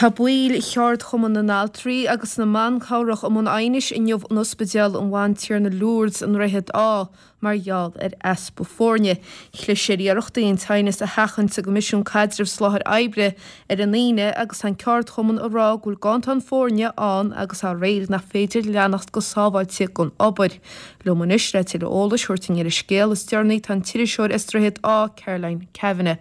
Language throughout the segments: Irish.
Tá baill Cheardchumann na nAltraí agus na mBan Cabhrach i mbun aighnis inniu in Ospidéal an Bhantiarna Lourdes i nDroichead Átha mar gheall ar easpa foirne. Chlis ar iarrachtaí an t-aighneas a sheachaint sa gCoimisiún Caidrimh Soláthair Oibre ar an Aoine agus tá an ceardchumann ag rá go bhfuil ganntan foirne ann agus dá réir nach féidir leanacht go sábháilte den obair. Liom anois le tuilleadh eolais a thabhairt dúinn ar an scéal is deireanaí tá an t-iriseoir as Droichead Átha, Caroline Kavanagh.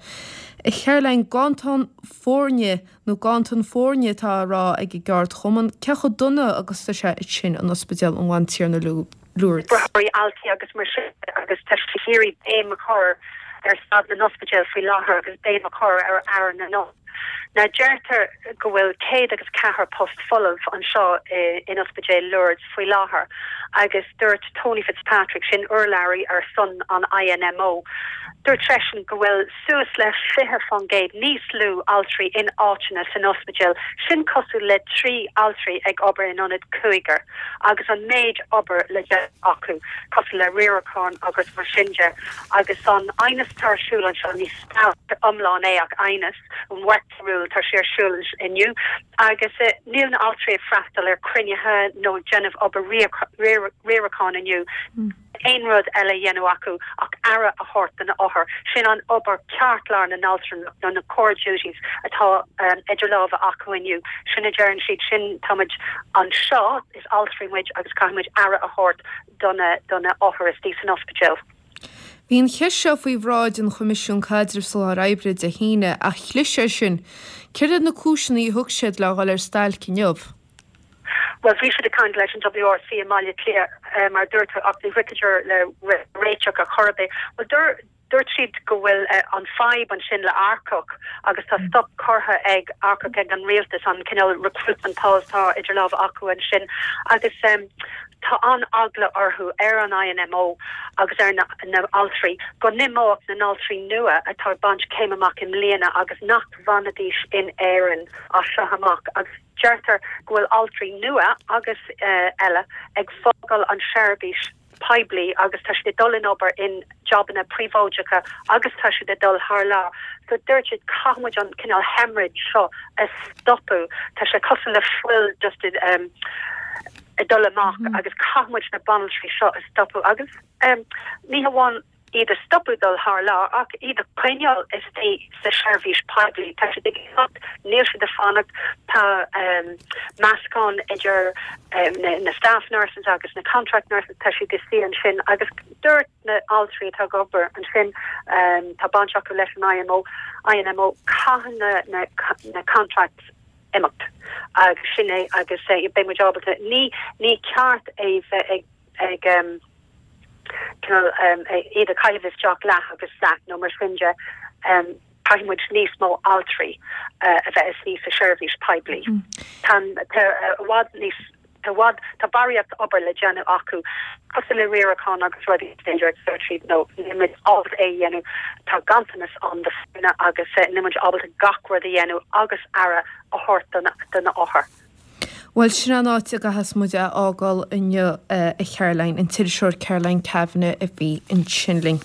A Charoline, ganntan foirne nó ganntan foirne atá á rá ag an gceardchumann, cé chomh dona agus tá sé ansin in Ospidéal an Bhantiarna Lourdes? Braithfidh altraí agus mar sin de agus tá siad ag iarraidh béim a chur ar staid na n-ospidéal faoi láthair agus béim a chur ar aire na n-othar. Now deirtear go bhfuil 104 post folamh anseo in Ospidéal Lourdes faoi láthair agus dúirt Tony Fitzpatrick, sin urlabhraí ar son an INMO, dúirt seisean go bhfuil suas le 20% níos lú altraí in áiteanna san ospidéal, sin cosúil le 3 altraí ag obair in ionad cúigear, agus an méid obair le déanamh acu, cosúil le riarachán agus mar sin de. Agus an aighneas atá ar siúl anseo, ní stailc iomlán é ach aighneas, an working rule, tá sé ar siúl inniu, agus níl na altraí ag freastal ar cruinnithe nó ag déanamh obair riaracháin inniu. aon rud eile a dhéanamh acu ach aire a thabhairt do na othair. Sin an obair ceartlár na n-altrama nó na core duties atá idir lámha acu inniu. Sin a deireann siad, sin táimid anseo, is altraí muid agus caithfidh muid aire a thabhairt do na do na othair istigh san ospidéal. Bhí an cheist seo faoi bhráid an Choimisiún Caidrimh Soláthair Oibre Dé hAoine ach chlis air sin. Céard iad na cúiseanna a thug siad le dhul ar stailc inniu? Bhuel, bhí siad ag caint leis an WRC i mBaile Átha Cliath, mar a dúirt tú, ach ní shroicheadar le réiteach ar chor ar bith. Bhuel, dúirt siad go bhfuil an fadhb ansin le earcach agus tá stop curtha ag earcach ag an rialtas, an cineál recruitment pause atá idir lámha acu ansin agus tá an-eagla orthu, ar an INMO agus ar na altraí, go n-imeodh na n-altraí nua atá ag baint céim amach i mbliana agus nach bhfanfaidís in Éirinn as seo amach agus Deirtear go bhfuil altraí nua agus eile ag fágáil an seirbhís poiblí agus tá siad ag dul in obair in jabanna príobháideacha agus tá siad ag dul thar lear. So dúirt siad caithfidh muid an cineál hemorrhage seo a stopadh. Tá sé cosúil le fuil just ag dul amach agus caithfidh muid na banaltraí seo a stopadh agus ní hamháin iad a stopadh dul thar lear ach iad a choinneáil istigh sa seirbhís poiblí. Tá siad ag imeacht, níl siad ag fanacht. Tá meascán idir na staff nurses agus na contract nurses, tá siad istigh ansin agus dúirt na altraí atá ag obair ansin, tá baint acu leis an IMO, INMO, caithfidh na na contracts imeacht agus sin é agus beidh muid ábalta, ní ní ceart é bheith ag ag cineál iad a chaitheamh isteach leath agus leath nó mar sin de, caithfidh muid níos mó altraí a bheith istigh sa seirbhís poiblí. Tá i bhfad níos, tá i bhfad, tá barraíocht obair le déanamh acu, cosúil le riarachán agus rudaí is féidir a dúirt siad nó níl muid ábalta é a dhéanamh, tá ganntanas ann do foirne agus níl muid ábalta gach rud a dhéanamh agus aire a thabhairt do na othair. Bhuel, sin an áit a gcaithfeas muid é a fhágáil inniu, a Charoline, an t-iriseoir Caroline Kavanagh a bhí ansin linn.